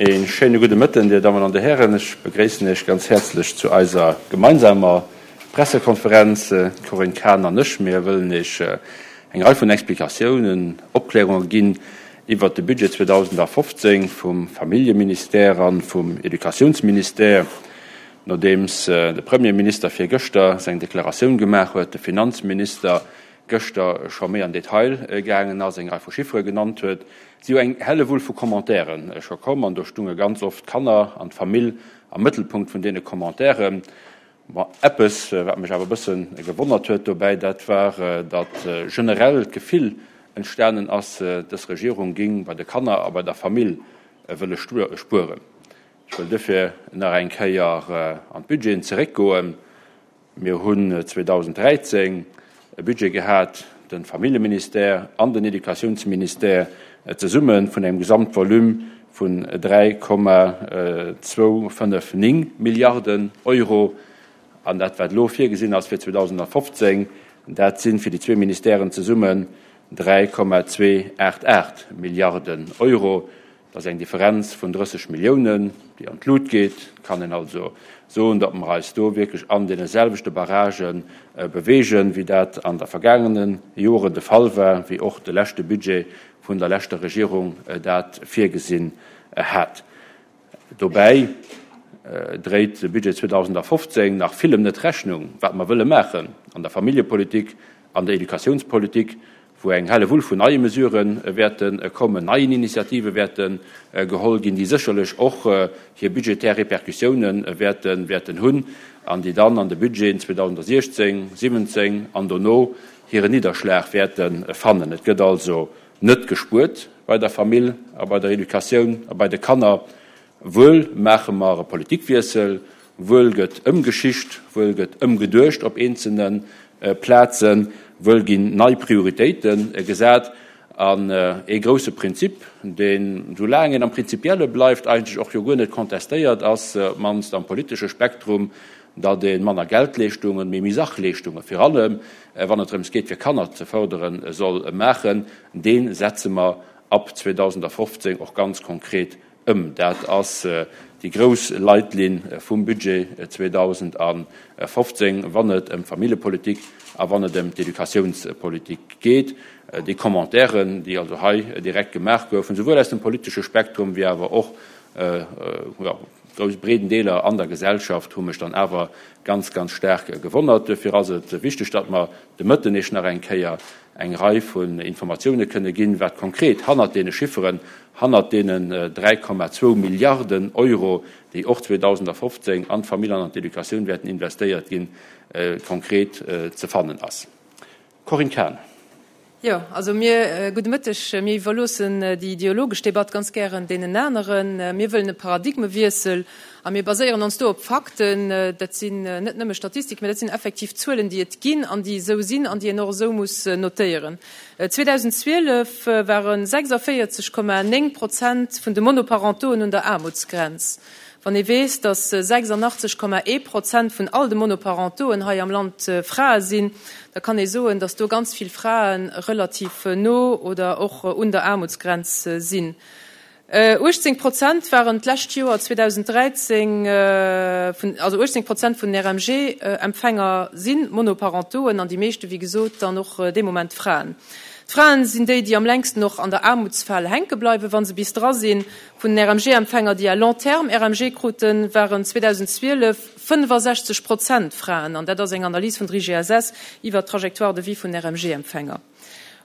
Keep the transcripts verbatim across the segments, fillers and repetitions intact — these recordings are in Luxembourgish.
Ee schéine gudde Mëtten, Dir Dammen an Dir Hären. Ech begréissen Iech ganz häerzlech zu eiser gemeinsamer Pressekonferenz. D'Corinne Cahen an ech, mir wëllen Iech eng Rei vun Explikatiounen, Opklärunge ginn iwwert de Budget zweedausendafofzéng vum Familljeministère a vum Educatiounsministère. Nodeems de Premierminister virgëschter seng Deklaratioun gemaach huet, de Finanzminister gëschter scho méi an Detail gaangen ass, eng Rei vu Chiffere genannt huet, si jo eng Hellewull vu Commentairen scho komm an do stunge ganz oft d'Kanner an d'Famill am Mëttelpunkt vun deene Commentairen. Bon, eppes, wat mech awer e bësse gewonnert huet dobäi, dat war, datt generell d'Gefill entstanen ass, dës Regierung géing bei de Kanner a bei der Famill wëlle spueren. Ech wëll duerfir nach eng Kéier an d'Budgeten zeréckgoen. Mir hunn zweedausenddräizéng e Budget gehat, de Familljeministère an den Educatiounsministère zesumme vun engem Gesamtvolume vun dräi Komma zwou fënnef néng Milliarden Euro. An dat, wat elo virgesinn ass fir zweedausendfofzéng, dat si fir déi zwee Ministèren zesummen dräi Komma zwee aacht aacht Milliarden Euro. Dat ass eng Differenz vun drësseg Milliounen, déi an d'Lut geet. Et kann een also soen, datt mer eis do wierklech an deene selwechte Barragë beweegen, wéi dat an der vergaangene Joren de Fall war, wéi och de leschte Budget vun der leschter Regierung dat virgesinn hat. Dobäi dréit de Budget zweedausendfofzéng nach villem net Rechnung, wat mer wëlle maachen an der Familljepolitik, an der Educatiounspolitik, wou eng Hellewull vun neie Mesurë wäerte kommen, neien Initiative wäerte geholl ginn, déi sécherlech och hir budgetär Repercussioune wäerten hunn an déi dann an de Budgeten zweedausendsechzéng, siwwenzéng an dono hiren Nidderschlag wäerte fannen. Et gëtt also net gespuert bei der Famill a bei der Educatioun a bei de Kanner. Wuel maache mer e Politikwiessel, wuel gëtt ëmgeschicht, wuel gëtt ëmgeduecht op eenzelne Plazen, wuel ginn nei Prioritéite gesat. An ee grousse Prinzip, deen, soulaang een am Prinzipielle bleift, eigentlech och jo guer net contestéiert ass, op d'mannst am politesche Spektrum, datt ee manner Geldleeschtungen, mee méi Sachleeschtungen, vir allem wann et drëms geet fir Kanner ze fërderen, soll maachen, dee setze mer ab zweedausendfofzéng och ganz konkret ëm. Dat ass déi grouss Leitlinn vum Budget zweedausendfofzéng, wann et ëm d'Familljepolitik a wann et ëm d'Educatiounspolitik geet. Déi Commentairen, déi also hei direkt gemaach goufen, souwuel aus dem politesche Spektrum wéi awer och, jo, grouss breeden Deeler an der Gesellschaft, hu mech dann awer ganz, ganz staark gewonnert. Duerfir ass et wichteg, datt mer de Mëtten Iech nach eng Kéier eng Rei vun Informatioune kënne ginn, wat konkret hannert deene Chifferen, hannert deenen dräi Komma zwou Milliarden Euro, déi och zweedausendfofzéng an d'Famill an an d'Educatioun wäerten investéiert ginn, konkret ze fannen ass. Corinne Cahen. Jo, also mir, gudde Mëtteg, mir iwwerloossen déi ideologesch Debatt ganz gären deenen aneren. Mir wëllen e Paradigmewiessel a mir baséieren ons do op Fakten. Dat sinn net nëmme Statistiken, mä dat sinn effektiv Zuelen, déi et ginn an déi esou sinn an déi een och esou muss notéieren. zweedausendzwielef ware sechsavéierzeg Komma néng Prozent vun de Monoparentoen un der Aarmutsgrenz. Wann ee weess, datt sechsandachtzeg Komma ee Prozent vun all de Monoparentoen hei am Land Frae sinn, da kann ee soen, datt do ganz vill Frae relativ no oder och un der Aarmutsgrenz sinn. uechtzéng Prozent waren d'lescht Joer zweedausenddräizéng vun, also uechtzéng Prozent vun den R M G-Empfänger si Monoparentoen an déi meeschte, wéi gesot, dann och dee Moment Fraen. D'Fraen sinn déi, déi am längsten och an der Aarmutsfal hänke bleiwen, wa se bis dra sinn. Vun den R M G-Empfänger, déi à long terme R M G kruten, waren zweedausendzwielef fënnefasechzeg Prozent Fraen. An dat ass eng Analys vun der I G S S iwwer d'Trajectoire de vie vun R M G-Empfänger.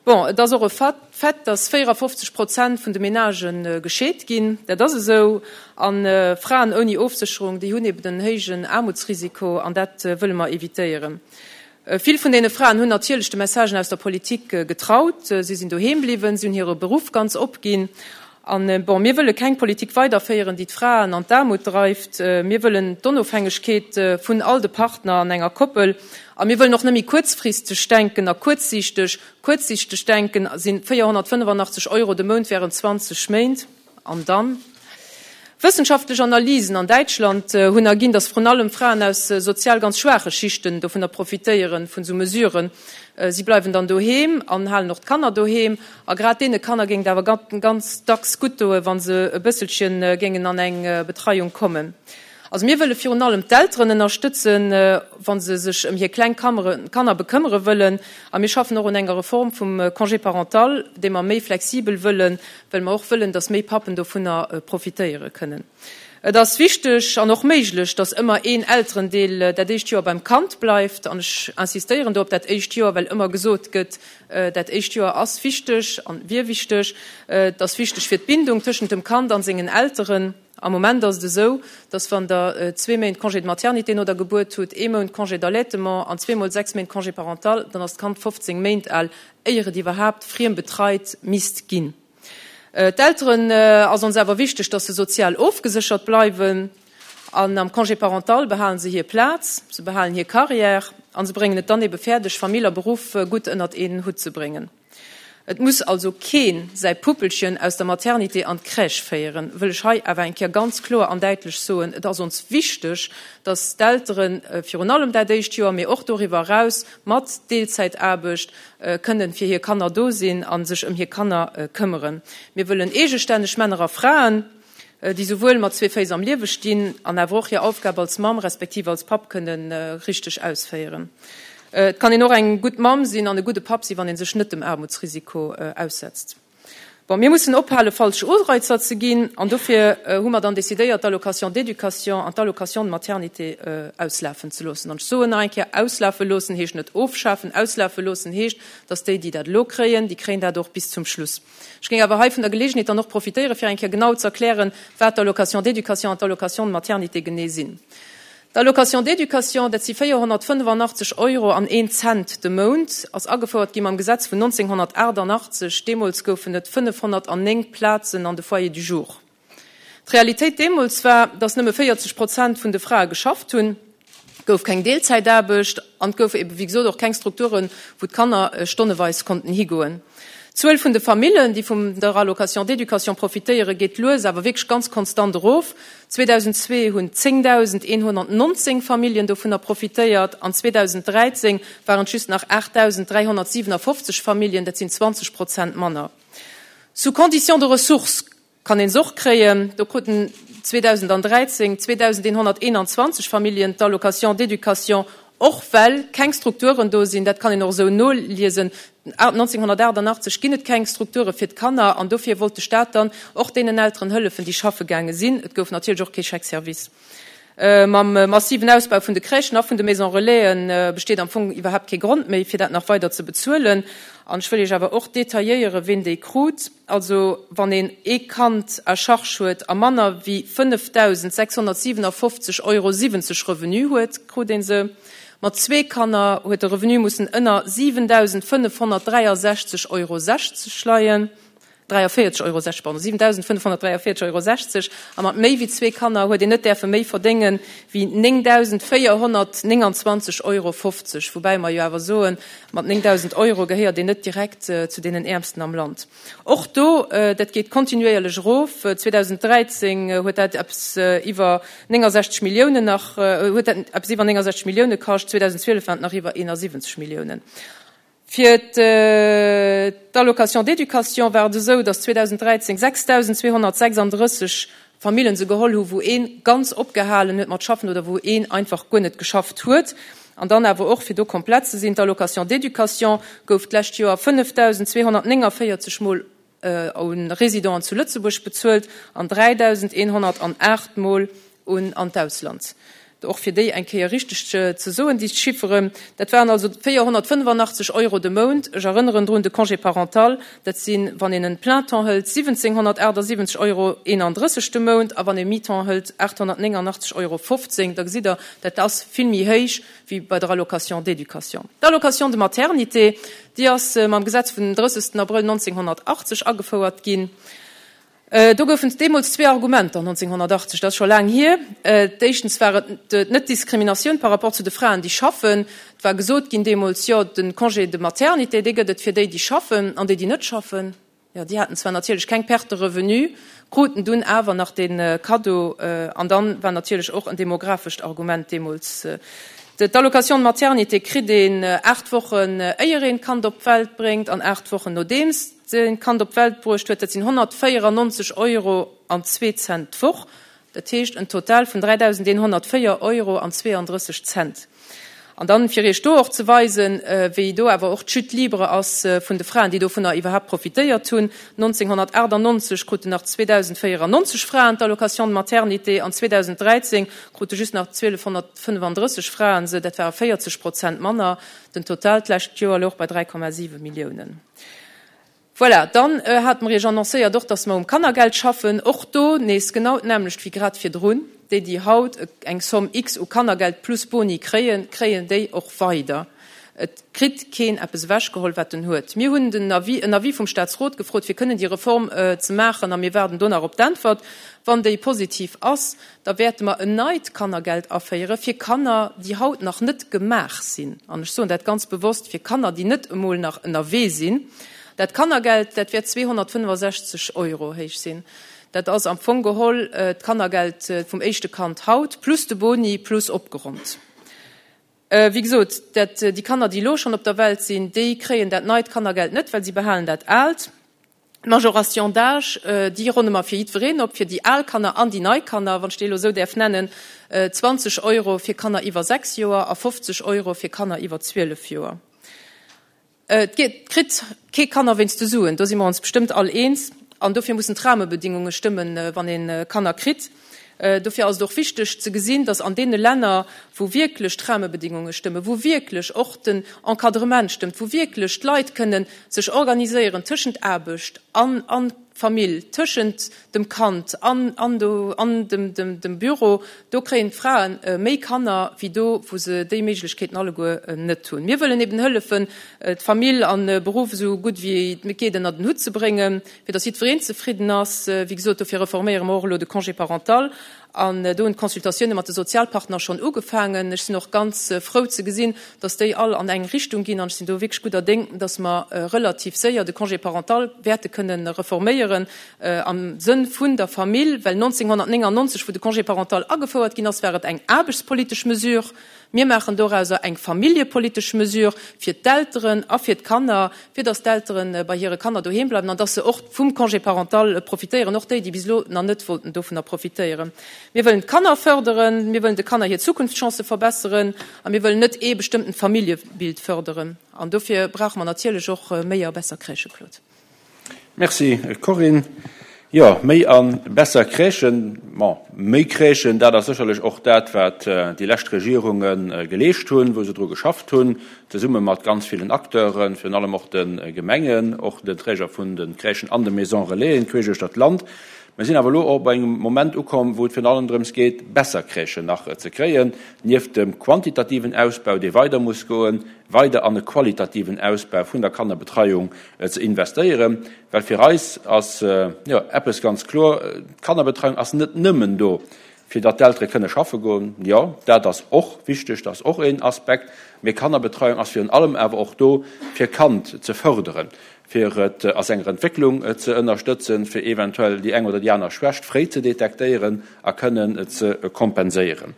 Bon, et ass och e Fait, dass véierafofzeg Prozent vun de Menagen gescheet ginn. Dat ass esou. A Fraen ouni Ofsécherung, déi hunn eben en héijen Aarmutsrisiko, an dat wëlle mer evitéieren. Vill vun deene Fraen hunn natierlech de Messagen aus der Politik getraut. Si sinn doheem bliwwen, si hunn hire Beruff ganz opginn. An bon, mir wëlle keng Politik weiderféieren, déi d'Fraen an d'Aarmut dreift. Mir wëllen d'Onofhängegkeet vun all de Partner an enger Koppel. A mir wëllen och net méi kuerzfristeg denken a kuerzsiichteg. Kuerzsiichteg denken si véierhonnertfënnefanachteg Euro de Mount während zwanzeg Méint. An dann? Wëssenschaftlech Analysen an Däitschland hunn erginn, datt vrun allem Fraen aus sozial ganz schwaache Schichten dovunner profitéieren, vun esou Mesuren. Si bleiwen dann doheem an halen och d'Kanner doheem. A grad deene Kanner géing et awer ganz dacks gutt doen, wa se e bësselche géingen an eng Betreiung kommen. Also mir wëlle virun allem d'Elteren ënnerstëtzen, wa se sech ëm hir kleng Kanner bekëmmere wëllen. A mir schaffen och un enger Reform vum Congé parental, dee mer méi flexibel wëllen, well mer och wëllen, datt méi Pappen dovunner profitéiere kënnen. Et ass wichteg an och méiglech, datt ëmmer een Elterendeel dat éischt Joer beim Kand bleift. An ech insistéieren do op dat éischt Joer, well ëmmer gesot gëtt, dat éischt Joer ass wichteg an wier wichteg. Et ass wichteg fir d'Bindung tëschent dem Kand an sengen Elteren. Am Moment ass et esou, datt wann Der zwee Méint Congé de maternité no der Gebuert hutt, ee Mount Congé d'allaitement an zweemol sechs Méint Congé parental, dann ass d'Kand fofzéng Méint al, éier et iwwerhaapt friembetreit misst ginn. D'Elteren ass ons awer wichteg, datt se sozial ofgeséchert bleiwen. An am Congé parental behalen se hir Plaz, se behalen hir Carrière an se bréngen et dann ebe fäerdeg, Famill a Beruff gutt ënnert een Hutt ze bréngen. Et muss also keen säi Puppelchen aus der Maternité an d'Crèche féieren, wëll ech hei awer eng Kéier ganz kloer an däitlech soen. Et ass ons wichteg, dass d'Elteren virun allem dat éischt Joer, mee och doriwwer eraus mat Deelzäitaarbecht kënnen fir hir Kanner do sinn a sech ëm hir Kanner këmmeren. Mir wëllen eegestänneg Männer a Fraen, déi souwuel mat zwee Féiss am Liewe stinn an awer och hir Aufgab als Mamm respektiv als Papp kënnen richteg ausféieren. Et kann een och eng gutt Mamm sinn an e gudde Papp sinn, wann ee sech net dem Aarmutsrisiko aussetzt. Bon, mir mussen ophale falsch Ureizer ze ginn, an dofir hu mer dann decidéiert, d'Allocation d'éducation an d'Allocation de maternité auslafen ze loossen. An ech soen nach eng Kéier, auslafe loossen heescht net ofschafen, auslafe loossen heescht, datt déi, déi dat elo kréien, déi kréien dat och bis zum Schluss. Ech géing awer hei vun der Geleegenheet dann och profitéieren, fir eng Kéier genau ze erklären, wat d'Allocation d'éducation an d'Allocation de maternité genee sinn. D'Allocation d'éducation, dat si véierhonnertfënnefanachteg Euro an een Cent de Mount, ass agefouert gi mam Gesetz vun nonzénghonnertaachtanachtzeg. Deemools goufen et fënnefhonnertnéng Plazen an de Foyers du jour. D'Realitéit deemools war, datt nëmme véierzeg Prozent vun de Frae geschafft hunn, gouf keng Deelzäitaarbecht an et gouf ebe wéi gesot och keng Strukturen, wou d'Kanner stonneweis konnten higoen. D'Zuel vun de Famillen, déi vun der Allocation d'éducation profitéieren, geet lues awer wierklech ganz konstant erof. zweedausendzwee hunn zéngdausendeenhonnertnonzéng Familljen dovunner profitéiert an zweedausendräizéng waren et just nach aachtdausend dräihonnertsiwenafoffzeg Familljen, dat sinn zwanzeg Prozent manner. Sous condition de ressources kann een se och kréien. Do kruten zweedausendräizéng zweedausendeenhonnerteenanzwanzeg Familljen d'Allocation d'éducation, och well keng Strukturen do sinn. Dat kann een och esou noliesen. nonzénghonnertaachtanachteg ginn et keng Strukture fir d'Kanner an dofir wollt de Staat dann och deenen Elteren hëllefen, déi schaffe gaange sinn. Et gouf natierlech och kee Chèque-service. Mam massiven Ausbau vun de Crèchen a vun de Maison Relaisen besteet am Fong iwwerhaapt kee Grond méi, fir dat nach weider ze bezuelen. An ech wëll Iech awer och detailléieren, ween déi krut. Also wann een ee Kand à charge huet a manner wéi fënnefdausendsechshonnertsiwenafofzeg Euro siwwenzeg Revenu huet, krut ee se. Mat zwee Kanner huet de Revenu mussen ënner siwendausendfënnefhonnertdräiasechzeg Euro sechzeg leien, dräiavéierzeg Euro sechzeg, pardon, siwendausendfënnefhonnertdräiavéierzeg Euro sechzeg, a mat méi wéi zwee Kanner huet een net däerfe méi verdéngen wéi néngdausendvéierhonnertnénganzwanzeg Euro fofzeg, woubäi mer jo awer soen, mat néngdausend Euro gehéiert een net direkt zu deenen Äermsten am Land. Och do, dat geet kontinuéierlech erof, zweedausendräizéng huet dat eppes iwwer néngasechzeg Milliounen nach, huet dat eppes iwwer néngasechzeg Millioune kascht, zweedausendzwielef waren et nach iwwer eenasiwwenzeg Milliounen. Fir d'Allocation d'éducation war et esou, datt zweedausendräizéng sechsdausendzweehonnertsechsanddrësseg Famillen se geholl hu wou ee ganz opgehalen huet mat schaffen oder wou een einfach guer net geschafft huet. An dann awer och, fir do komplett ze sinn, d'Allocation d'éducation gouf d'lescht Joer fënnefdausendzweehonnertnénganvéierzeg Mol un Résidenten zu Lëtzebuerg bezuelt an dräidausendeenhonnertaacht Mol un an d'Ausland. Och fir déi eng Kéier richteg ze soen, déi Chifferen, dat waren also véierhonnertfënnefannachtzeg Euro de Mount. Ech erënneren drun, de Congé parental, dat sinn, wann een en plein temps hëlt, siwwenzénghonnertaachtsiwwenzeg Euro eenandrësseg de Mount a wann ee mi-temps hëlt, aathonnertnéngannachtzeg Euro fofzéng. Da gesitt Der, dat ass vill méi héich wéi bei der Allocation d'éducation. D'Allocation de maternité, déi ass mam Gesetz vun den drëssegsten Abrëll nonzénghonnertachtzeg agefouert ginn. Do goufen et deemools zwee Argumenter, nonzénghonnertachtzeg, dat ass scho laang hier. D'éischtens war et d'Net-Diskriminatioun par rapport zu de Fraen, déi schaffen. Et war gesot ginn deemools, jo, de Congé de maternité, dee gëtt et fir déi, déi schaffen, an déi, déi net schaffen, jo, déi haten zwar natierlech keng Perte de revenu, kruten dunn awer nach dee Kaddo. An dann war natierlech och en demographescht Argument deemools. D'Allocation de maternité kritt een aacht Wochen, éier een d'Kand op d'Welt bréngt, an aacht Wochen, nodeems een d'Kand op d'Welt bruecht huet. Dat sinn honnertvéierannonzeg Euro an zwee Cent d'Woch. Dat heescht en Total vun dräidausendeenhonnertvéier Euro an zweeandrësseg Cent. An dann, fir Iech do och ze weisen, wéi do awer och d'Chute libre ass vun de Fraen, déi dovunner iwwerhaapt profitéiert hunn, nonzénghonnertachtannonzeg kruten nach zweedausendvéierannonzeg Fraen d'Allocation de maternité an zweedausendräizéng krute just nach zwielefhonnertfënnefandrësseg Fraen se, dat ware véierzeg Prozent manner. Den Total d'lescht Joer louch bei dräi Komma siwe Milliounen. Voilà, dann hate mer Iech annoncéiert och, dass mer um Kannergeld schaffen. Och do nees genau d'nämmlecht wéi grad virdrun. Déi, déi haut eng Somme X u Kannergeld plus Boni kréien, kréien déi och weider. Et kritt keen eppes ewechgeholl, wat en huet. Mir hunn den Avis, en Avis vum Statsrot gefrot, fir kënnen déi Reform ze maachen, a mir waarden do nach op d'Äntwert. Wann déi positiv ass, da wäerte mer en neit Kannergeld aféiere fir Kanner, déi haut nach net gemaach sinn. An ech soen dat ganz bewosst, fir Kanner, déi net emol nach ënnerwee sinn. Dat Kannergeld, dat wäert zweehonnertfënnefasechzeg Euro héich sinn. Dat ass am Fong geholl d'Kannergeld vum éischte Kand haut, plus de Boni, plus opgeronnt. Wéi gesot, dat, déi Kanner, déi elo schonn op der Welt sinn, déi kréien dat neit Kannergeld net, well si behalen dat aalt. D'Majoration d'âge, déi ronne mer fir jiddwereen op, fir déi al Kanner an déi nei Kanner, wann ech déi elo esou däerf nennen, zwanzeg Euro fir Kanner iwwer sechs Joer a fofzeg Euro fir Kanner iwwer zwielef Joer. Et kritt kee Kanner wéinst de Suen, do si mer ons bestëmmt all eens. An dofir mussen d'Rahmebedingunge stëmmen, wann ee Kanner kritt. Dofir ass et och wichteg ze gesinn, dass an deene Länner, wou wierklech d'Rahmebedingunge stëmmen, wou wierklech och den Encadrement stëmmt, wou wierklech d'Leit kënnen sech organiséieren tëschent Aarbecht an Famill, tëschent dem Kand an an dem Büro, do kréien d'Frae méi Kanner wéi do, wou se déi Méiglechkeeten alleguer net hunn. Mir wëllen eben hëllefen, d'Famill an Beruff esou gutt wéi et geet ënnert en Hutt ze bréngen, fir datt jiddwereen zefridden ass. Wéi gesot, dofir reforméiere mer och elo de Congé parental. An do hunn d'Consultatioune mat de Sozialpartner schonn ugefaangen. Ech sinn och ganz frou ze gesinn, datt déi all an eng Richtung ginn. An ech sinn do wierklech gudder Déng, datt mer relativ séier de Congé parental wäerte kënnen reforméieren am Sënn vun der Famill. Well nonzénghonnertnéngannonzeg, wou de Congé parental agefouert ginn ass, war et eng aarbechtspolitesch Mesure. Mir maachen dorauser eng familljepolitesch Mesure fir d'Elteren a fir d'Kanner, fir datt d'Eltere bei hire Kanner doheem bleiwen an datt se och vum Congé parental profitéieren, och déi, déi bis elo nach net wollten dovunner profitéieren. Mir wëllen d'Kanner fërderen, mir wëllen de Kanner hir Zukunftschancë verbesseren a mir wëllen net ee bestëmmtent Familljebild fërderen. An dofir brauche mer natierlech och méi a besser Crèchë, Claude. Merci, Corinne. Jo, méi a besser Crèchen, bon, méi Crèchen, dat ass sécherlech och dat, wat déi lescht Regierunge geleescht hunn, wou se dru geschafft hunn, zesumme mat ganz villen Acteuren, virun allem och de Gemengen, och den Träger vun de Crèchen an de Maisons Relaisen queesch uechter d'Land. Mir sinn awer elo och bei engem Moment ukomm, wou et virun allem drëms geet, besser Crèchen nach ze kréien, nieft dem quantitativen Ausbau, dee weider muss goen, weider an e qualitativen Ausbau vun der Kannerbetreiung ze investéieren. Well fir eis ass, jo, eppes ganz kloer, D'Kannerbetreiung ass net nëmmen do, fir datt d'Eltere kënne schaffe goen. Jo, dat ass och wichteg, dat ass och een Aspekt. Mee Kannerbetreiung ass virun allem awer och do, fir d'Kand ze fërderen, fir et a senger Entwécklung ze ënnerstëtzen, fir eventuell déi eng oder déi aner Schwächt fréi ze detektéieren a kënnen ze kompenséieren.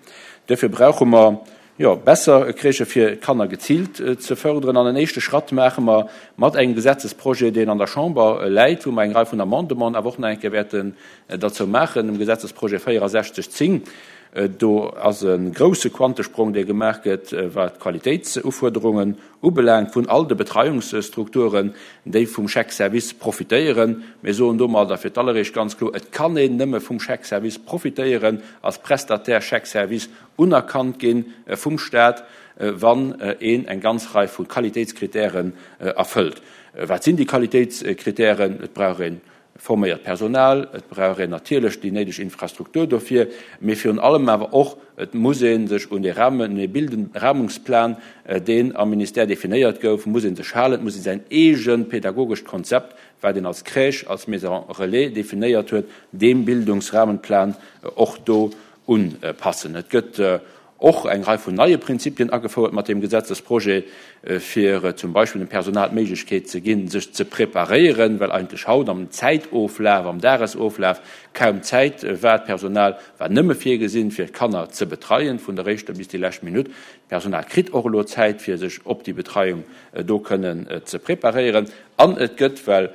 Duerfir brauche mer, jo, besser Crèchë fir d'Kanner geziilt ze fërderen. An en éischte Schratt maache mer mat engem Gesetzesprojet, deen an der Chamber läit, wou mer eng Rei vun Amendementen awer och nach eng Kéier wäerten derzou maachen, dem Gesetzesprojet véierundsechzeg zéng, Do ass e grousse Quantesprong, dee gemaach gëtt, wat d'Qualitéitsufuerderungen ubelaangt vun all de Betreiungsstrukturen, déi vum Chèque-service profitéieren. Mir soen domadder fir d'alleréischt ganz kloer, Et kann een nëmme vum Chèque-service profitéieren, als Prestataire Chèque-service unerkannt gi vum Stat, wann een eng ganz Rei vu Qualitéitskritären erfëllt. Wat sinn déi Qualitéitskritären? Et brauch ee forméiert Personal, et brauch een natierlech déi néideg Infrastruktur dofir, mee virun allem awer och, et muss ee sech un dee Rahmen, un dee Rahmungsplan, deen am Ministère definéiert gouf, muss ee sech halen. Et muss ee säin eegent pedagogescht Konzept, wat een als Crèche, als Maison relais definéiert huet, deem Bildungsrahmenplan och do unpassen. Et gëtt och eng Rei vun neie Prinzipien agefouert mat deem Gesetzesprojet, fir zum Beispill dem Personal d'Méiglechkeet ze ginn, sech ze preparéieren, well eigentlech haut am Zäitoflaf, am Dagesoflaf kaum Zäit war. D'Personal war nëmme virgesinn, fir d'Kanner ze betreien, vun der éischter bis déi lescht Minutt. D'Personal kritt och elo Zäit, fir sech op déi Betreiung do kënnen ze preparéieren. An et gëtt, well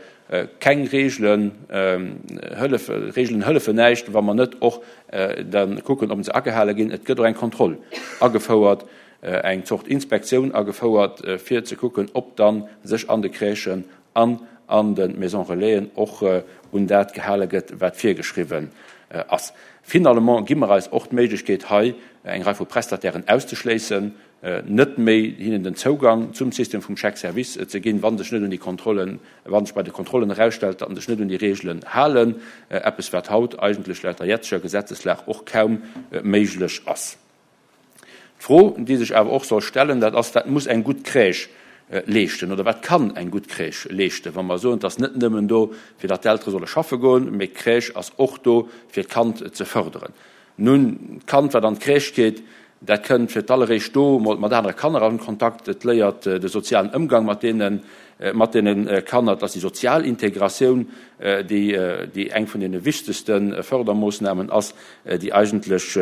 Keng Reegelen hëllefen, Reegelen hëllefen näischt, wa mer net och da kucken, ob se agehale ginn. Et gëtt och eng Kontroll agefouert, eng Zort Inspektioun agefouert, fir ze kucken, ob da sech an de Crèchen an an de Maisons Relaisen och un dat gehale gëtt, wat virgeschriwwen ass. Finalement gi mer eis och d'Méiglechkeet, hei eng Rei vu Prestatairen auszeschléissen, net méi hinnen den Zougang zum System vum Chèque-service ze ginn, wa sech net un déi Kontrollen, wa sech bei de Kontrollen erausstellt, datt se sech net un déi Regelen halen, eppes wat haut eigentlech laut der jetzeger Gesetzeslag och kaum méiglech ass. D'Fro, déi sech awer och soll stellen, dat ass, Wat muss eng gutt Crèche leeschten oder wat kann eng gutt Crèche leeschten, wa mer soen, et ass net nëmmen do, fir datt d'Eltere solle schaffe goen, mee d'Crèche ass och do, fir d'Kand ze fërderen. Nun, d'Kand, wat an d'Crèche geet, dat kënnt fir d'alleréischt do emol mat anere Kanner an Kontakt, et léiert de sozialen Ëmgang mat deene mat deene Kanner. Et ass déi sozial Integratioun, déi déi eng vun deene wichtegste Fërdermoossnamen ass, déi eigentlech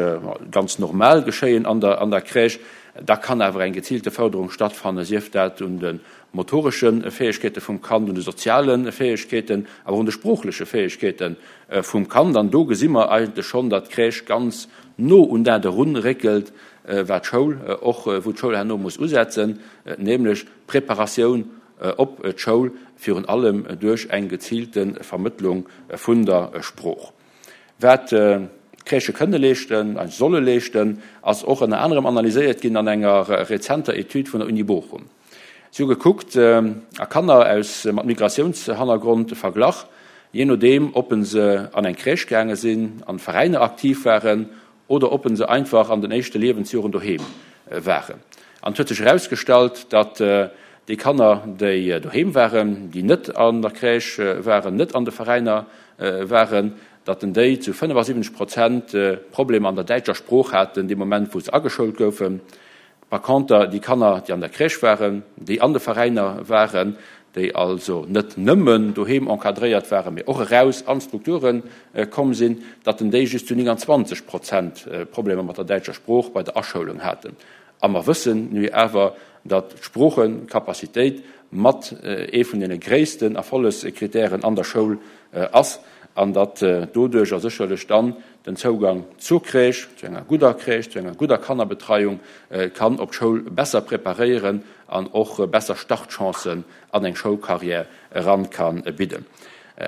ganz normal geschéien an der an der Crèche. Da kann awer eng geziilte Fërderung stattfannen, sief dat un de motoresche Fäegkeete vum Kand, un de soziale Fäegkeeten, awer och un de sproochleche Fäegkeete vum Kand. An do gesi mer eigentlech schonn, datt d'Crèche ganz no un dat erunréckelt, wat d'Schoul och, wou d'Schoul herno muss usetzen, nämlech d'Preparatioun op d'Schoul, virun allem duerch eng geziilte Vermëttlung vun der Sprooch. Wat d'Crèchë kënne leeschten a solle leeschten, ass och ënner anerem analyséiert ginn an enger rezenter Etüd vun der Uni Bochum. Si hu gekuckt a Kanner aus mat Migratiounshannergrond verglach, jee nodeem ob se an eng Crèche gaange sinn, an Veräiner aktiv waren oder ob se einfach an den éischte Liewensjoren doheem waren. An et huet sech erausgestallt, datt déi Kanner, déi doheem waren, déi net an der Crèche waren, net an de Veräiner waren, datt en déi zu fënnefasiwwenzeg Prozent Problemer an der däitscher Sprooch haten dee Moment, wou se ageschoult goufen. Par conter déi Kanner, déi an der Crèche waren, déi an de Veräiner waren, déi also net nëmmen doheem encadréiert waren, mee och eraus an d'Strukture komm sinn, datt en déi just zu nénganzwanzeg Prozent Problemer mat der däitscher Sprooch bei der Aschoulung haten. A mer wëssen nu awer, datt d'Sproochecapacitéit mat ee vun deene gréissten Erfollegskritären an der Schoul ass an datt doduercher sécherlech dann den Zougang zur Crèche, zu enger gudder Crèche, zu enger gudder Kannerbetreiung kann op d'Schoul besser preparéieren an och besser Startchancen an eng Schoulcarrière eran ka bidden.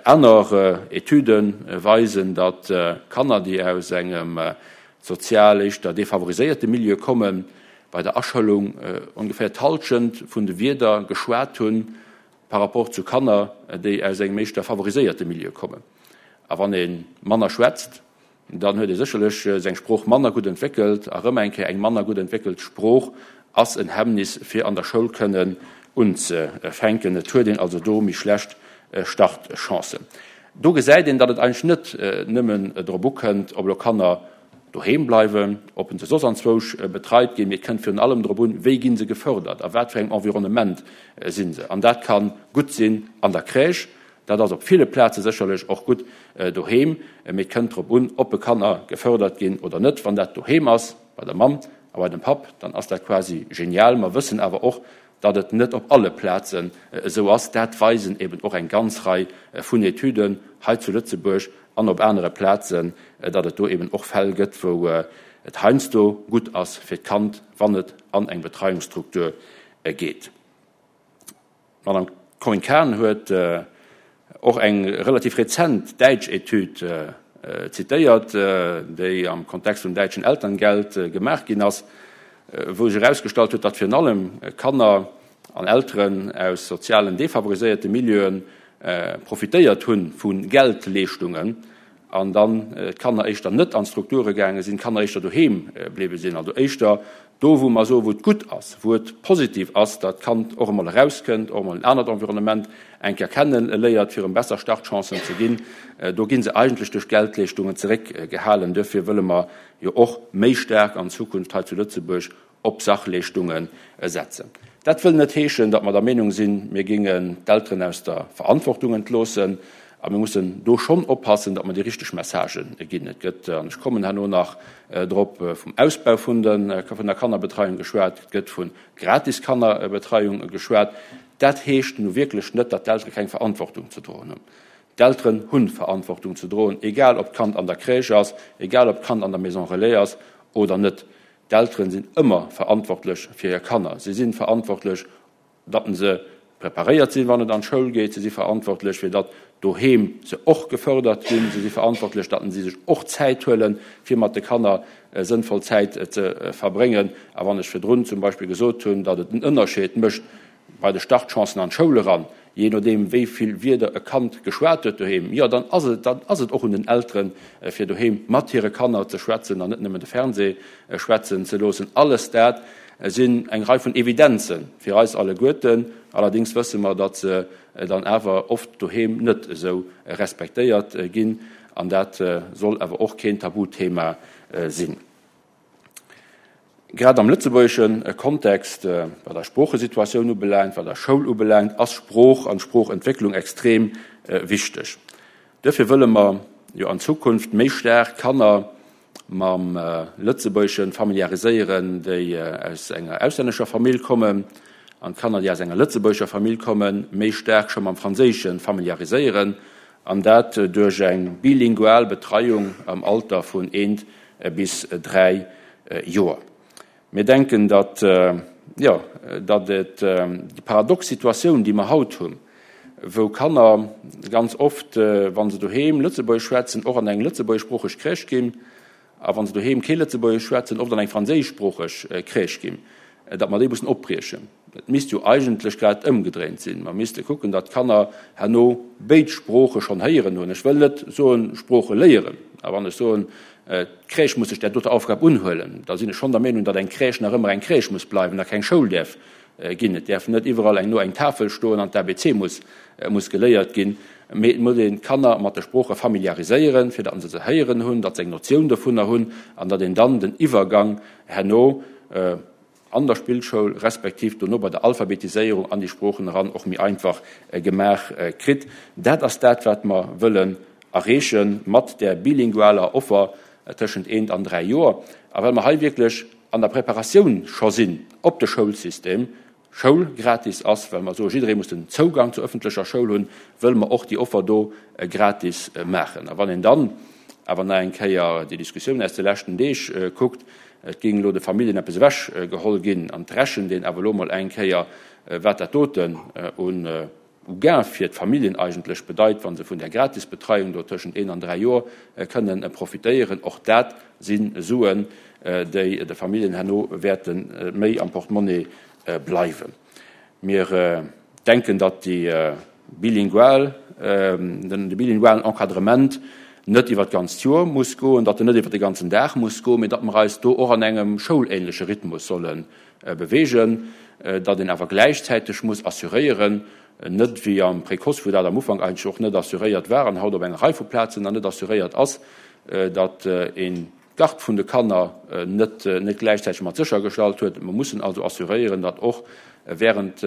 Aner Etüde weisen, datt Kanner, déi aus engem sozial éischter defavoriséierte Milieu kommen, bei der Aschoulung ongeféier d'Hallschent vun de Wierder geschwat hunn par rapport zu Kanner, déi aus engem éischter favoriséierte Milieu kommen. A wann ee manner schwätzt, dann huet ee sécherlech seng Sprooch manner gutt entwéckelt. A rëm eng Kéier, eng manner gutt entwéckelt Sprooch ass en Hemmnis, fir an der Schoul kënnen unzefänken. Et huet een also do méi schlecht Startchancen. Do gesäit een, datt et eigentlech net nëmmen drop ukënnt, ob elo Kanner doheem bleiwen, ob se soss anzwousch betreit ginn, mee et kënnt virun allem drop un, wéi gi se gefërdert, a wat fir engem Environnement si se. An dat ka gutt sinn an der Crèche, dat ass op ville Plaze sécherlech och gutt doheem, mee et kënnt drop un, ob e Kanner gefërdert ginn oder net. Wann dat doheem ass, bei der Mamm a bei dem Papp, dann ass dat quasi genial. Mer wëssen awer och, datt et net op alle Plazen esou ass. Dat weisen eben och eng ganz Rei vun Etüden hei zu Lëtzebuerg an op anere Plazen, datt et do eben och Fäll gëtt, wou et heiansdo gutt ass fir d'Kand, wann et an eng Betreiungsstruktur geet. D'Madame Corinne Cahen huet och eng relativ rezent däitsch Etüd zitéiert, déi am Kontext vum däitschen Elterngeld gemaach ginn ass, wou sech erausgestallt huet, datt virun allem Kanner an Elteren aus sozialen defavoriséierte Milieue profitéiert hu vu Geldleeschtungen an dann d'Kanner éischter net an d'Strukture gaange sinn, d'Kanner éischter doheem bliwwe sinn, also éischter do wou mer soen, wou et gutt ass, wou et positiv ass, datt d'Kand och emol erauskënnt, och emol en anert Environnement eng Kéier kenne léiert, fir em besser Startchancen ze ginn. Do gi se eigentlech duerch Geldleeschtungen zeréckgehalen. Duerfir wëlle mer jo och méi staark an Zukunft hei zu Lëtzebuerg op Sachleeschtunge setzen. Dat wëll net heeschen, datt mer der Meenung sinn, mir géingen d'Elteren aus der Verantwortung entloossen. A mir mussen do schonn oppassen, datt mer déi richteg Messagen ginn. Et gëtt, an ech kommen herno nach drop, vum Ausbau vun der Kannerbetreiung geschwat, et gëtt vu gratis Kannerbetreiung geschwat. Dat heescht nu wierklech net, datt d'Eltere keng Verantwortung ze droen hunn. D'Elteren hu Verantwortung ze droen, egal ob d'Kand an der Crèche ass, egal ob d'Kand an der Maison relais ass oder net. D'Elteren sinn ëmmer verantwortlech fir hir Kanner. Si si verantwortlech, datt se preparéiert sinn, wann et an d'Schoul geet. Si si verantwortlech, fir datt doheem se och gefërdert ginn. Si si verantwortlech, datt si sech och Zäit huelen, fir mat de Kanner sënnvoll Zäit ze verbréngen. A wann ech virdrun zum Beispill gesot hunn, datt et en Ënnerscheed mécht bei de Startchancen an d'Schoul eran, jee nodeem wéi vill Wierder e Kand geschwat huet doheem, jo, dann ass et, dann ass et och un den Elteren, fir doheem mat hire Kanner ze schwätzen an net nëmmen de Fernseh schwätzen ze loossen. Alles dat sinn eng Rei vun Evidenze fir eis alleguerten. Allerdéngs wësse mer, datt se dann awer oft doheem net esou respektéiert ginn. An dat soll awer och keen Tabuthema sinn. Grad am lëtzebuergesche Kontext, wat eis Sproochesituatioun ubelaangt, wat eis Schoul ubelaangt, ass Sprooch an Sproochentwécklung extrem wichteg. Duerfir wëlle mer jo an Zukunft méi staark Kanner mam Lëtzebuergesche familiariséieren, déi aus enger auslännescher Famill kommen, an d'Kanner, déi aus enger lëtzebuergescher Famill kommen, méi staark scho mam Franséische familiariséieren, an dat duerch eng bilingual Betreiung am Alter vun eent bis dräi Joer. Mir denken, datt, jo, datt et déi paradox Situatioun, déi mer haut hunn, wou Kanner ganz oft, wa se doheem Lëtzebuergesch schwätzen, och an eng lëtzebuergeschsproocheg Crèche ginn, a wa se doheem kee Lëtzebuergesch schwätzen, oft an eng franséischsproocheg Crèche ginn, datt mer déi mussen opbriechen. Et misst jo eigentlech grad ëmgedréint sinn. Mer misste kucken, datt d'Kanner herno béid Sprooche schonn héieren hunn. Ech wëll net soen, Sprooche léieren. A wann ech soen, d'Crèche muss sech där doter Aufgab unhuelen, da sinn ech schonn der Meenung, datt eng Crèche nach ëmmer eng Crèche muss bleiwen a keng Schoul däerf ginn. Et däerf net iwwerall eng no eng Tafel stoen an d'A B C muss muss geléiert ginn. Mee et muss een d'Kanner mat de Sprooche familiariséieren, fir datt se se héieren hunn, datt se eng Notioun dovunner hunn an datt een dann den Iwwergang herno an der Spillschoul respektiv dono bei der Alphabetiséierung an déi Sproochen eran och méi einfach gemaach kritt. Dat ass dat, wat mer wëllen erreeche mat där bilingualer Offer tëschent eent an dräi Joer. A well mer hei wierklech an der Preparatioun scho sinn op de Schoulsystem, Schoul gratis ass, well mer soe jidderee muss den Zougang zur ëffentlecher Schoul hunn, wëlle mer och déi Offer do gratis maachen. A wann een dann awer nach eng Kéier déi Diskussioun aus de leschten Deeg kuckt, et géing elo de Familljen eppes ewech geholl ginn, an et rechent een awer elo mol eng Kéier, wat dat doten un Gain fir d'Familljen eigentlech bedeit, wa se vun där Gratisbetreiung do tëschent een an dräi Joer kënnen profitéieren. Och dat si Suen, déi de Familljen herno wäerte méi am Portemonnaie bleiwen. Mir denken, datt déi bilingual, de bilingualen Encadrement net iwwer d'ganzt Joer muss goen, datt en net iwwer de ganzen Dag muss goen, mee datt mer eis do och an engem schoulähnleche Rhythmus solle beweegen, datt een awer gläichzäiteg muss assuréieren, net wéi am Précoce, wou dat am Ufank eigentlech och net assuréiert war an haut op enger Rei vu Plazen nach net assuréiert ass, datt een d'Garde vun de Kanner net net gläichzäiteg mat séchergestallt huet. Mer mussen also assuréieren, datt och während,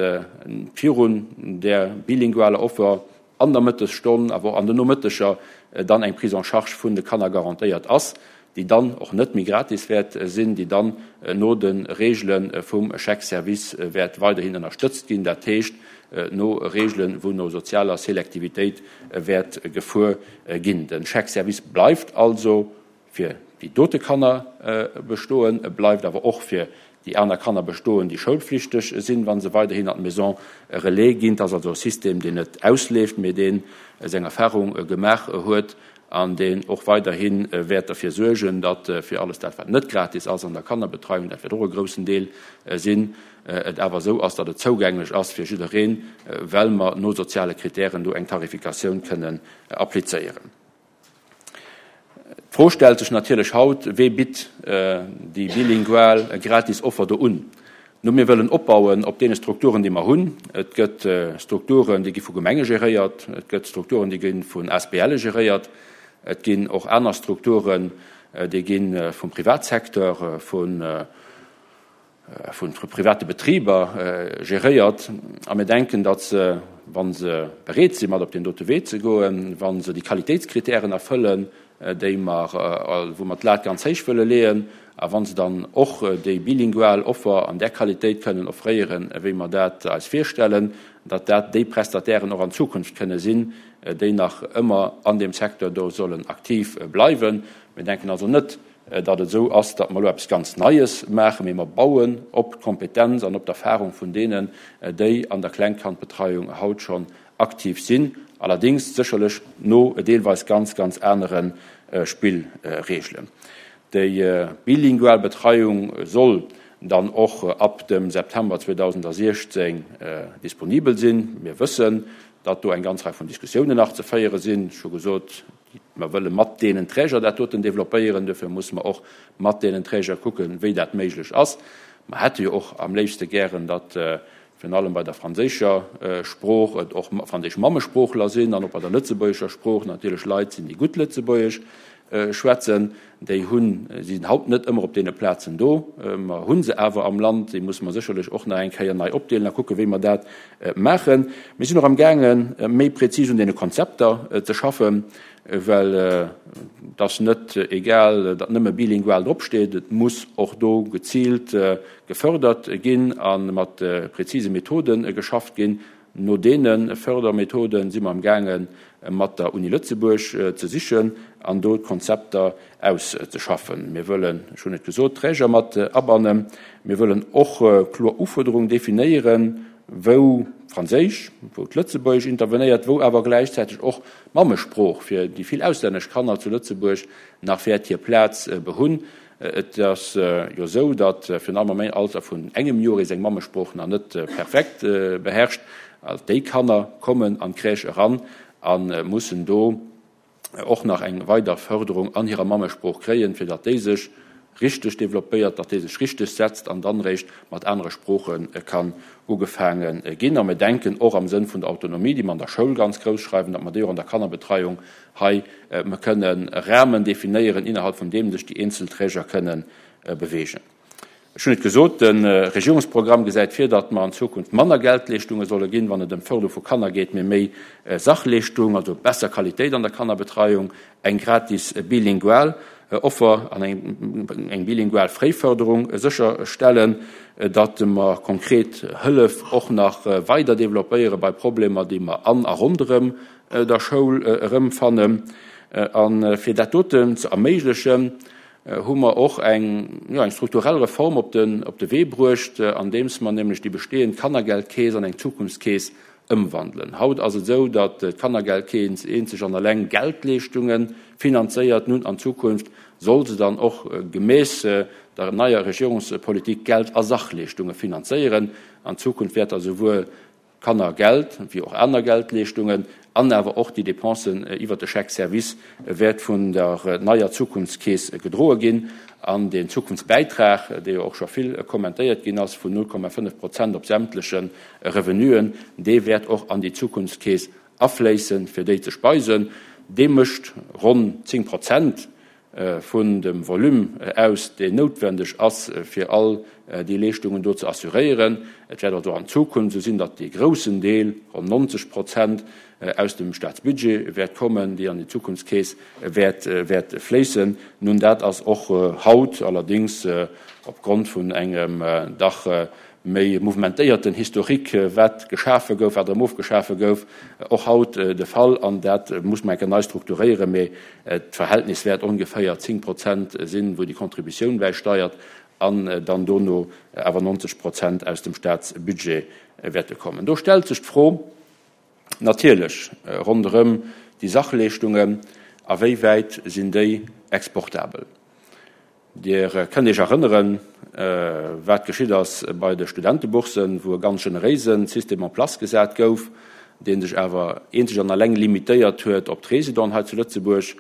virun där bilingualer Offer an der Mëttesstonn, awer och an den Nomëtteger dann eng Prise en charge vun de Kanner garantéiert ass. déi dann och net méi gratis wäert sinn, déi dann no de Reegele vum Chèque-service wäert weiderhin ënnerstëtzt ginn, dat heescht no Reegelen, wou no sozialer Selektivitéit wäert gefuer ginn. De Chèque-service bleift also fir déi dote Kanner bestoen, e bleift awer och fir déi aner Kanner bestoen, déi schoulflichteg sinn, wa se weiderhin an d'Maison relais ginn. Et ass also e System, deen net ausleeft, mee dee seng Erfahrung gemaach huet an deen och weiderhi wäert derfir suergen, datt fir alles dat, wat net gratis ass an der Kannerbetreiung, dat wäert och e groussen Deel sinn, et awer esou ass, datt et zougänglech ass fir jiddereen, well mer no soziale Kritären do eng Tarifikatioun kënnen applizéieren. D'Fro stellt sech natierlech haut, Wee bitt déi bilingual gratis Offer do un? No, mir wëllen opbauen op deene Strukturen, déi mer hunn. Et gëtt Strukturen, déi gi vu Gemenge geréiert, et gëtt Strukturen, déi gi vun A S B L e geréiert, et ginn och aner Strukturen, déi gi vum Privatsecteur, vu vu private Betriber geréiert. A mir denken, datt se, wa se bereet sinn, mat op deen dote Wee ze goen, wa se déi Qualitéitskritären erfëllen, déi mer, wou mer d'Lat ganz héich wëlle leeën, a wa se dann och déi bilingual Offer an där Qualitéit kënnen offréieren, wéi mer dat eis virstellen, datt dat déi Prestatairen och an Zukunft kënne sinn, déi nach ëmmer an deem Secteur do sollen aktiv bleiwen. Mir denken also net, datt et esou ass, datt mer elo eppes ganz Neies maachen, mee mer bauen op d'Kompetenz an op d'Erfahrung vun deenen, déi an der Klengkandbetreiung haut schonn aktiv sinn, allerdéngs sécherlech no deelweis ganz, ganz anere Spillreegelen. Déi bilingual Betreiung soll dann och ab dem September zweedausensiechzéng disponibel sinn. Mir wëssen, datt do eng ganz Rei vun Diskussiounen nach ze féiere sinn. Ech hu gesot, mer wëlle mat deenen Träger dat doten developpéieren. Dofir musse mer och mat deenen Träger kucken, wéi dat méiglech ass. Mer hätte jo och am léifste gären, datt virun allem bei der franséischer Sprooch et och franséisch Mammesproochler sinn an och bei der lëtzebuergescher Sprooch natierlech Leit sinn, déi gutt Lëtzebuergesch schwätzen. Déi hunn, si sinn haut net ëmmer op deene Plazen do. Mer hu se awer am Land. Déi musse mer sécherlech och nach eng Kéier nei opdeelen a kucken, wéi mer dat maachen. Mir sinn och amgaangen, méi prezis un deene Konzepter ze schaffen, well et ass net egal, datt nëmme bilingual dropsteet. Et muss och do geziilt gefördert ginn a mat prezise Methode geschafft ginn. No deene Fördermethoden si mer amgaange mat der Uni Lëtzebuerg ze sichen an do d'Konzepter auszeschaffen. Mir wëllen, ech hunn et gesot, d'Träger mat abannen. Mir wëllen och kloer Ufuerderungen definéieren, wou d'Franséisch, wou d'Lëtzebuergesch intervenéiert, wou awer gläichzäiteg och d'Mammesprooch fir déi vill auslännesch Kanner zu Lëtzebuerg nach wäert hir Plaz behunn. Et ass jo esou, datt virun allem am Alter vun engem Joer ee seng Mammesprooch nach net perfekt beherrscht. Déi Kanner kommen an d'Crèche eran a mussen do och nach eng weider Förderung an hirer Mammesprooch kréien, fir datt déi sech richteg developpéiert, datt déi sech richteg setzt an dann eréischt mat anere Sprooche kann ugefaange ginn. A mir denken och am Sënn vun der Autonomie, déi mer an der Schoul ganz grouss schreiwen, datt mer déi och an der Kannerbetreiung hei kënnen Rahmen definéieren, innerhalb vun deem sech déi eenzel Träger kënnen beweegen. Ech hunn et gesot, de Regierungsprogramm gesäit vir, datt mer an Zukunft manner Geldleeschtunge solle ginn, wann et ëm d'Förderung vu Kanner geet, mee méi Sachleeschtung, also besser Qualitéit an der Kannerbetreiung, eng gratis bilingual Offer an eng bilingual Fréiförderung sécherstellen, datt mer konkret Hëllef och nach weider developpéiere bei Problemer, déi mer an a ronderëm der Schoul erëmfannen. A fir dat doten ze erméiglechen, hu mer och eng, jo, eng strukturell Reform op den, op de Wee bruecht, andeems mer nämlech déi bestehend Kannergeldkeess an eng Zukunftskeess ëmwandelen. Haut ass et esou, datt d'Kannergeldkeess eenzeg an alleng Geldleeschtunge finanzéiert. Nun an Zukunft soll se dann och gemäss der neier Regierungspolitik Geld a Sachleeschtunge finanzéieren. An Zukunft wäert da souwuel Kannergeld wéi och aner Geldleeschtungen an awer och déi Dépensen iwwert de Chèque service wäert vun der neier Zukunftskeess gedroe ginn. An deen Zukunftsbäitrag, dee jo och scho vill kommentéiert ginn ass, vun null Komma fënnef Prozent op sämtleche Revenuen, dee wäert och an déi Zukunftskeess afléissen, fir déi ze speisen. Dee mécht ronn zéng Prozent vun dem Volume aus, deen noutwendeg ass, fir all déi Leeschtungen do ze assuréieren. Et wäert also an Zukunft esou sinn, datt dee groussen Deel, ronn neunzeg Prozent, aus dem Staatsbudget wäert kommen, déi an déi Zukunftskeess wäert, wäert fléissen. Nun, dat ass och haut allerdéngs opgrond vun engem dach méi mouvementéierten Historique, wat geschafe gouf, wat erëm ofgeschafe gouf, och haut de Fall. An dat muss mer eng Kéier nei strukturéieren, mee d'Verhältnis wäert ongeféier zéng Prozent sinn, wou déi Contributioun bäisteiert, an dann dono awer neunzeg Prozent aus dem Staatsbudget wäerte kommen. Do stellt sech d'Fro natierlech ronderëm déi Sachleeschtungen, a wéi wäit sinn déi exportabel? Dir kënnt Iech erënneren, wat geschitt ass bei de Studenteboursen, wou e ganz generéise System en place gesat gouf, dee sech awer eenzeg an alleng limitéiert huet op d'Résidenten hei zu Lëtzebuerg.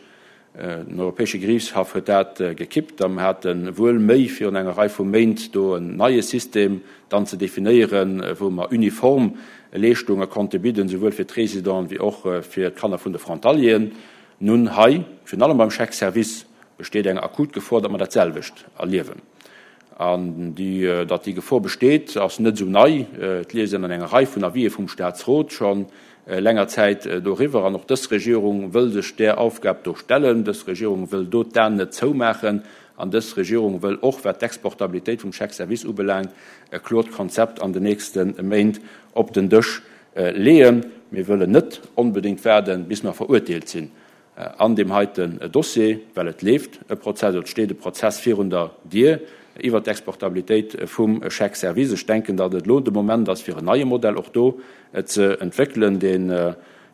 Den Europäesche Geriichtshaff huet dat gekippt a mer hate wuel Méi virun enger Rei vu Méint do en neie System dann ze definéieren, wou mer uniform Leeschtunge konnte bidden, souwuel fir d'Résidenten wéi och fir d'Kanner vun de Frontalieren. Nun hei, virun allem beim Chèque-service, besteet eng akut Gefor, datt mer dat selwecht erliewen. An déi, datt déi Gefor besteet, ass net esou nei. Et liest een an enger Rei vun Avisë vum Staatsrot scho länger Zäit doriwwer. An och dës Regierung wëll sech där Aufgab do stellen. Dës Regierung wëll do d'Aen net zoumaachen. An dës Regierung wëll och, wat d'Exportabilitéit vum Chèque-service ubelaangt, e klort Konzept an den nächste Méint op den Dësch leeën. Mir wëllen net onbedéngt waarden, bis mer verurteelt sinn an deem heiten Dossier, well et leeft e Prozess, oder et steet e Prozess virun der Dier iwwert d'Exportabilitéit vum Chèque-service. Ech denken, datt et elo de Moment ass, fir en neie Modell och do ze entwéckelen, deen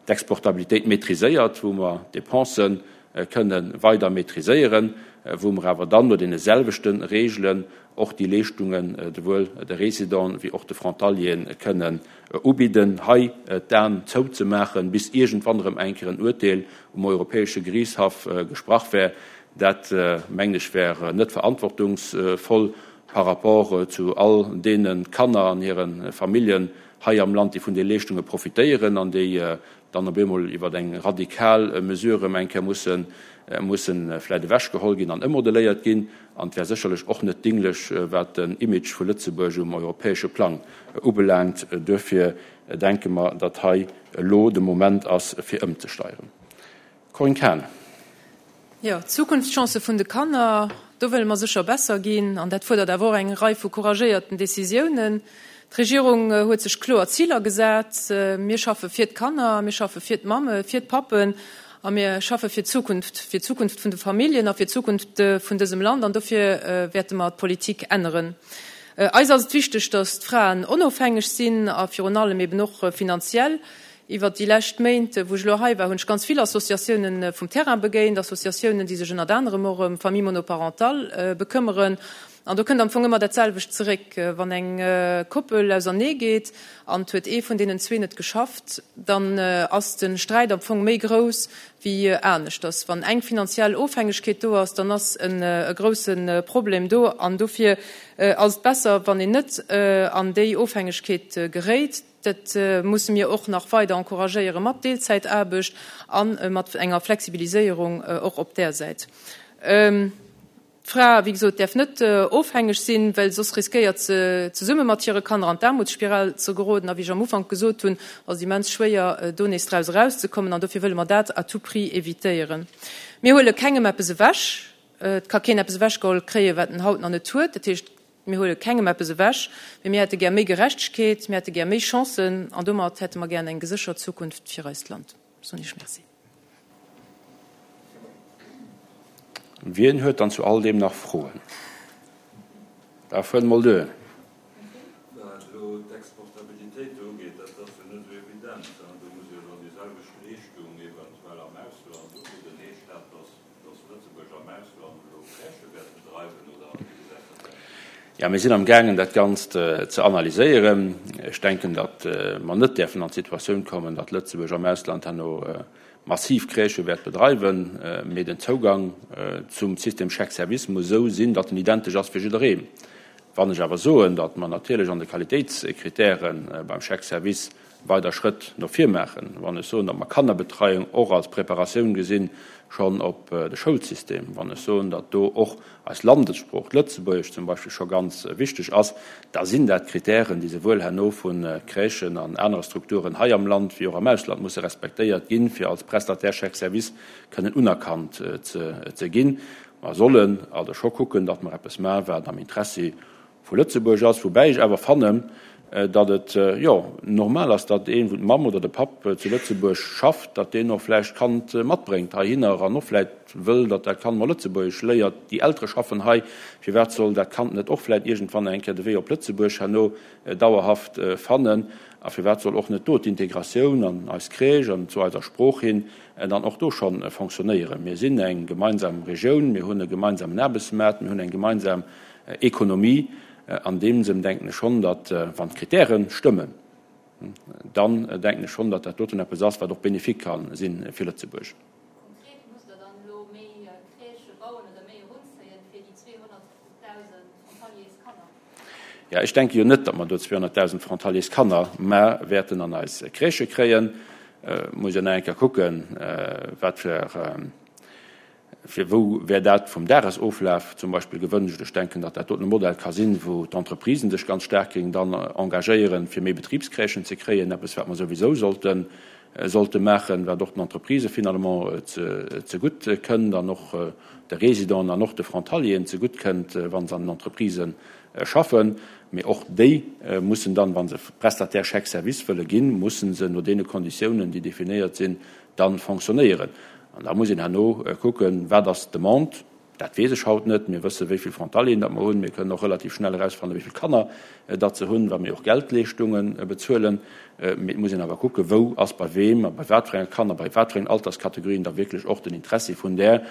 d'Exportabilitéit maîtriséiert, wou mer d'Dépensen kënne weider maîtriséieren, wou mer awer dann no deene selwechte Regeln och déi Leeschtungen souwuel de Résidenten wéi och de Frontalieren kënnen ubidden. Hei d'Aen zouzemaachen, bis iergendwann erëm eng Kéier en Urteel um Europäesche Geriichtshaff gesprach wär, dat, mengen ech, wär net verantwortungsvoll par rapport zu all deene Kanner an hire Familljen hei am Land, déi vun de Leeschtunge profitéieren an déi dann op eemol iwwer eng radikal Mesure erëm eng Kéier mussen, mussen vläicht ewechgeholl ginn an ëmmodelléiert ginn. An et wär sécherlech och net dinglech, wat den Image vu Lëtzebuerg um europäesche Plang ubelaangt. Duerfir denke mer, datt hei elo de Moment ass, fir ëmzesteieren. Corinne Cahen. Jo, d'Zukunftschancë vun de Kanner, do wëlle mer sécher besser ginn. An dat fuerdert awer och eng Rei vu couragéierten Decisiounen. D'Regierung huet sech kloer Ziler gesat. Mir schaffe fir d'Kanner, mir schaffe fir d'Mamme, fir d'Pappen a mir schaffe fir d'Zukunft, fir d'Zukunft vun de Familljen a fir d'Zukunft vun dësem Land. An dofir wäerte mer d'Politik änneren. Eis ass et wichteg, datt d'Fraen onofhängeg sinn a virun allem eben och finanziell. Iwwert déi lescht Méint, wou ech elo hei war, hunn ech ganz vill Associatiounen vum Terrain begéint, Associatiounen, déi sech ënnert anerem och ëm Famille monoparentale bekëmmeren. An do kënnt am Fong ëmmer dat selwecht zeréck, Wann eng Koppel ausernee geet an et huet ee vun deenen zwee net geschafft, dann ass de Sträit am Fong méi grouss wéi aneschters. Wann eng finanziell Ofhängegkeet do ass, dann ass e grousse Problem do. An dofir ass et besser, wann een net an déi Ofhängegkeet geréit. Dat musse mir och nach weider encouragéiere mat Deelzäitaarbecht a mat enger Flexibiliséierung och op där Säit. D'Fra, wéi gesot, däerf net ofhängeg sinn, well soss riskéiert se, zesumme mat hire Kanner an d'Aarmutsspiral ze geroden. A wéi ech am Ufank gesot hunn, ass et immens schwéier, do nees draus erauszekommen. An dofir wëlle mer dat à tout prix évitéieren. Mir huele kengem eppes ewech. Et ka keen eppes ewechgeholl kréien, wat en haut nach net huet. Dat heescht, mir huele kengem eppes ewech, mee mir hätte gär méi Gerechtegkeet, mir hätte gär méi Chancen an domat hätte mer gär eng geséchert Zukunft fir eist Land. Soen Iech Merci. Wien huet dann zu all deem nach Froen? Da fuert mol duer. Wat elo d'Exportabilitéit do ugeet, dat ass jo net esou evident. Do muss jo dann déi selwecht Leeschtung eventuell am Ausland ubidden. Heescht dat, dass Lëtzebuerg am Ausland elo Crèchë wäert bedreiwen oder wéi gesäit dat aus? Jo, mir sinn amgaangen, dat Ganzt ze analyséieren. Ech denken, datt mer net däerfen an d'Situatioun kommen, datt Lëtzebuerg am Ausland herno massiv Crèchë wäert bedreiwen, mee den Zougang zum System Chèque-service muss esou sinn, datt en identesch ass fir jiddereen. Wann ech awer soen, datt mer natierlech an de Qualitéitskritäre beim Chèque-service weider Schrëtt no vir maachen, wann ech soen, datt mer Kannerbetreiung och als Preparatioun gesinn schonn op de Schoulsystem, wann ech soen, datt do och eis Landessprooch, d'Lëtzebuergesch zum Beispill, scho ganz wichteg ass, da sinn dat Kritären, déi souwuel herno vu Crèchen an anere Strukturen hei am Land wéi och am Ausland musse respektéiert ginn, fir als Prestataire chèque-service kënnen unerkannt ze ginn. Mer sollen also scho kucken, datt mer eppes maachen, wat am Interessi vu Lëtzebuerg ass, woubäi ech awer fannen, datt et, jo, normal ass, datt een, wou d'Mamm oder de Papp zu Lëtzebuerg schafft, datt deen och vläicht d'Kand matbréngt heihinner an och vläicht wëll, datt dat Kand mol Lëtzebuergesch léiert. Déi Eltere schaffen hei, firwat soll dat Kand net och vläicht iergendwann eng Kéier de Wee op Lëtzebuerg herno dauerhaft fannen? A firwat soll och net do d'Integratioun an eis Crèche an zu eiser Sprooch hin dann och do scho fonctionnéieren? Mir sinn eng gemeinsam Regioun, mir hunn e gemeinsamen Aarbechtsmaart, mir hunn eng gemeinsam Ekonomie. An deem Sënn denken ech schonn, datt, wann d'Kritäre stëmmen, dann denken ech schonn, datt dat doten eppes ass, wat och bénéfique ka si fir Lëtzebuerg. Konkret, Musst Der dann elo méi Crèchë bauen oder méi erunzéien fir déi zweehonnertdausend Frontaliers-Kanner? Jo, ech denke jo net, datt mer do zweehonnertdausend Frontaliers-Kanner mä wäerten an eis Crèchë kréien. Muss jo nach eng Kéier kucken, wat fir. Fir wou wär dat vum Dagesoflaf zum Beispill gewënscht? Ech denken, datt dat doten e Modell ka sinn, wou d'Entreprisen sech ganz staark géingen dann engagéieren, fir méi Betribscrèchen ze kréien, eppes wat mer souwisou sollte sollte maachen, wat och den Entreprisë finalement zegutt kënnt an och de Résidenten an och de Frontalieren zegutt kënnt, wa se an den Entreprisë schaffen. Mee och déi mussen dann, wa se Prestataire chèque-service wëlle ginn, mussen se no deene Konditiounen, déi definéiert sinn, da fonctionnéieren. An da muss een herno kucken, wat ass d'Demande. Dat weess ech haut net. Mir wësse wéi vill Frontalieren datt mer hunn. Mir kënnen och relativ schnell erausfannen, wéi vill Kanner datt se hunn, wa mir och Geldleeschtunge bezuelen. Mee et muss een awer kucken, wou ass bei weem a bei wat fir enge Kanner, bei wat fir engen Alterskategorien da wierklech och den Interessi vun där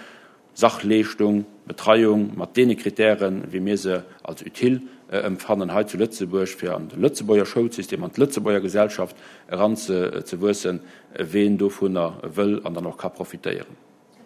Sachleeschtung, Betreiung mat deene Kritären, wéi mir se als utile empfannen hei zu Lëtzebuerg, fir an de Lëtzebuerger Schoulsystem, an d'Lëtzebuerger Gesellschaft eranzewuessen, ween dovunner wëll an dann och ka profitéieren.